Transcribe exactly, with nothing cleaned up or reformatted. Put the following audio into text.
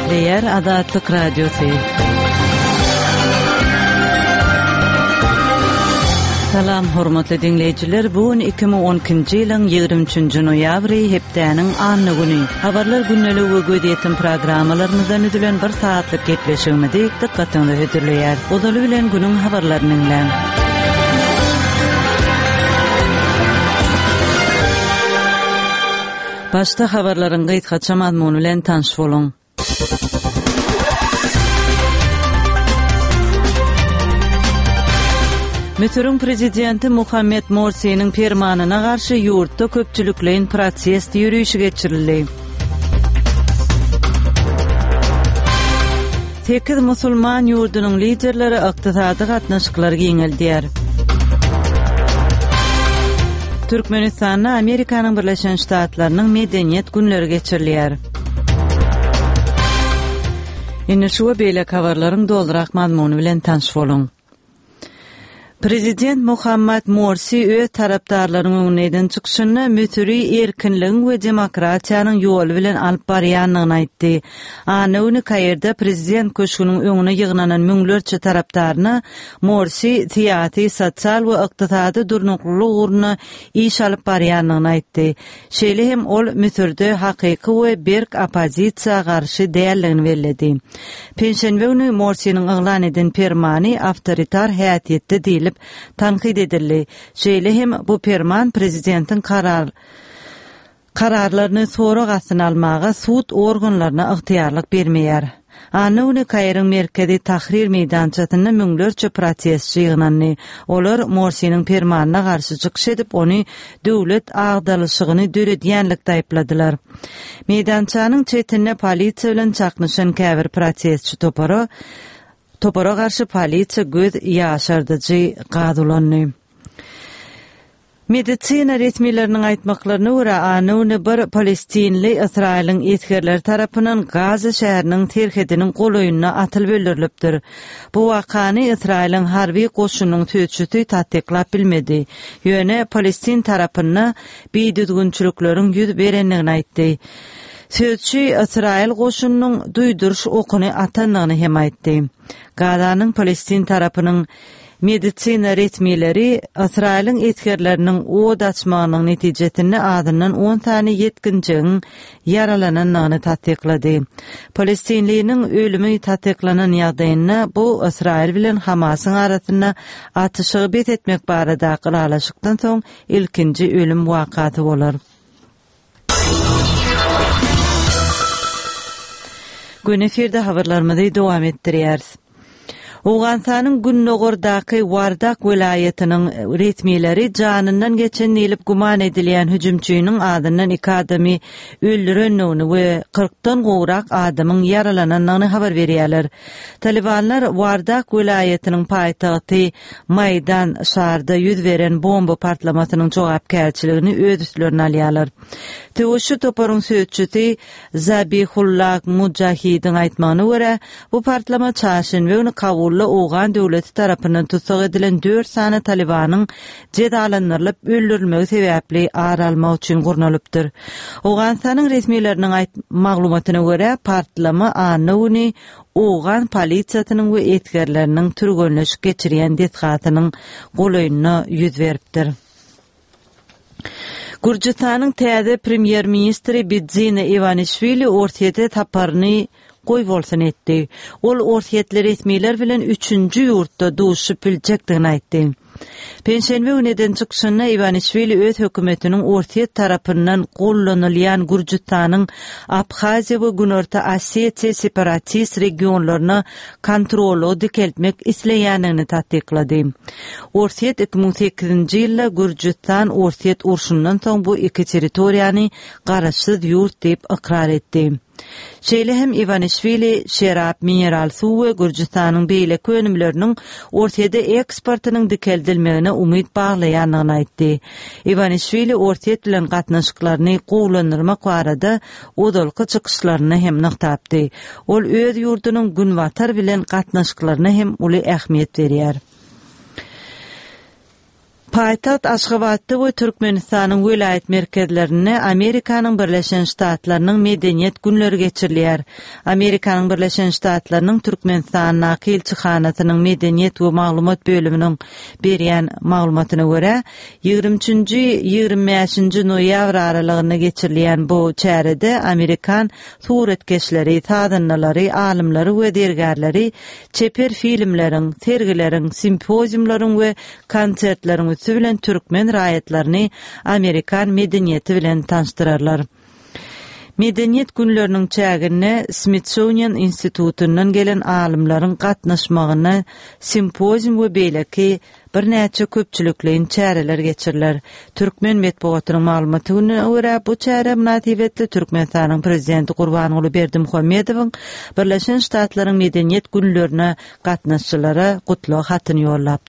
Gepleýär Azatlyk Radiosy. Salam hormatly diňleýjiler, bu gün iki müň on ikinji ýylyň ýigrimi üçünji noýabry, hepdäniň anna güni. Habarlar gündeligi we gözýetim programmalarymyzdan düzülen bir saatlyk gepleşigimizi dykgatyňyza hödürleýär. Ozaly bilen günüň habarlaryny diňläň. Başda habarlaryň gysgaça mazmuny bilen tanyş boluň. Müsüriň prezidenti Muhammed Morsiniň permanyna garşy ýurtda köpçülikleýin protest ýörişi geçirildi. Sekiz musulman ýurdunyň liderleri ykdysady gatnaşyklary giňeldýär. Türkmenistanda Amerikanyň Birleşen Ştatlarynyň medeniýet günleri geçirilýär. Indi şu we beýleki habarlaryň dolurak mazmuny bilen tanyş boluň. Prezident Muhammad Morsi öz tarapdarlarynyň öňünde eden çykyşynda Müsüri erkinligiň we demokratiýanyň ýoly bilen alyp barýandygyny aýtdy. Anna güni Kairde prezident köşgüniň öňüne ýygnanan müňlerçe tarapdaryna Morsi syýasy, sosial we ykdysady durnuklylyk ugrunda iş alyp barýandygyny aýtdy. Şeýle hem ol Müsürde hakyky we berk oppozisiýa garşy däldigini belledi. Penşenbe güni Morsiniň yglan eden permany awtoritar häsiýetde diýlip tankyt edildi. Şeýle hem bu perman prezidentiň karar, kararlaryny sorag astyna almaga sud organlaryna ygtyýarlyk bermeýär. Anna güni Kairiň merkezi Tahrir meýdançasynda müňlerçe protestçi ýygnandy. Olar Morsiniň permanyna garşy çykyş edip, ony döwlet agdalyşygyny döredýänlikde aýypladylar. Meýdançanyň çetinde polisiýa bilen çaknyşan käbir protestçi topara, topara garşy polisiýa göz ýaşardyjy gaz ulandy. Medisina resmileriniň aýtmaklaryna görä, anna güni bir palestinli Ysraýylyň esgerleri tarapyndan Gaza şäheriniň serhediniň golaýynda atylyp öldürilipdir. Bu wakany Ysraýylyň harby goşunynyň sözçüsi tassyklap bilmedi. Ýöne Palestin tarapynda bidüzgünçilikleriň ýüz berendigini aýtdy. Sözçi Ysraýyl goşunynyň duýduryş okuny atandygyny hem aýtdy. Gazanyň Palestin tarapynyň medisina resmileri Ysraýylyň esgerleriniň od açmagynyň netijesinde azyndan on sany ýetginjegiň ýaralanandygyny tassyklady. Palestinliniň ölümi tassyklanan ýagdaýynda bu Ysraýyl bilen Hamasyň arasynda atyşygy bes etmek baradaky ylalaşykdan soň ilkinji ölüm wakasy bolar. Gün efirde habarlarymyzy dowam etdirýäris. Owganystanyň Gündogardaky Wardak welaýatynyň resmileri janyndan geçen diýlip güman edilýän hüjümçiniň adyndan iki adamy öldürendigini we kyrkdan gowrak adamyň ýaralanandygyny habar berýärler. Talibanlar Wardak welaýatynyň paýtagty Maýdan şarda ýüz beren bomba partlamasynyň jogapkärçiligini öz üstlerine alýarlar. Söweşçi toparyň sözçüsi Zabihullah Mujahidiň aýtmagyna görä, bu partlama çarşenbe güni Kabulda Owgan döwleti tarapyndan tussag edilen dört sany Talibanyň jezalandyrylyp öldürilmegi sebäpli ar almak üçin gurnalypdyr. Owganystanyň resmileriniň aýt-, maglumatyna görä, partlama anna güni Owgan polisiýasynyň we esgerleriniň türgenleşik geçirýän desgasynyň golaýynda ýüz beripdir. Gürjüstanyň täze premýer-ministri Bidzina Iwanişwili Orsýete saparyny goýbolsun etdi. Ol Orsýetli resmiler bilen üçünji ýurtda duşup biljekdigini aýtdy. Penşenbe güni eden çykyşynda Iwanişwili öz hökümetiniň Orsýet tarapyndan gollanylýan Gürjüstanyň Abhaziýa we Günorta Osetiýa separatist regionlaryna kontrollygy dikeltmek isleýändigini tassyklady. Orsýet iki müň sekizinji ýylda Gürjüstan Orsýet urşundan soň bu iki territoriýany garaşsyz ýurt diýip ykrar etdi. Şeýle hem Iwanişwili şerap, mineral suw we Gürjüstanyň beýleki önümleriniň Orsýete eksportynyň dikeldilmegine umyt baglaýandygyny aýtdy. Iwanişwili Orsýet bilen gatnaşyklaryny gowulandyrmak barada ozalky çykyşlaryny hem nygtapdy. Ol öz ýurdunyň Günbatar bilen gatnaşyklaryna hem uly ähmiýet berýär. Paýtagt Aşgabatda we Türkmenistanyň welaýat merkezlerinde Amerikanyň Birleşen Ştatlarynyň Medeniýet günleri geçirilýär. Amerikanyň Birleşen Ştatlarynyň Türkmenistandaky ilçihanasynyň Medeniýet we maglumat bölüminiň berýän maglumatyna görä, ýigrimi üçünji, ýigrimi bäşinji noýabr aralygynda geçirilýän bu çärede amerikan suratkeşleri, sazandalary, alymlary we zergärleri çeper filmleriň, sergileriň, simpoziumlaryň we konsertleriň üsti bilen türkmen raýatlaryny amerikan medeniýeti bilen tanyşdyrarlar. Medeniýet günleriniň çäginde Smithsonian institutyndan gelen alymlaryň gatnaşmagynda simpozium we beýleki birnäçe köpçülikleýin çäreler geçiriler. Türkmen metbugatynyň maglumatyna görä, bu çäre mynasybetli Türkmenistanyň Prezidenti Gurbanguly Berdimuhamedowyň Birleşen Ştatlaryň Medeniýet günlerine gatnaşyjylara gutlag hatyny ýollapdyr.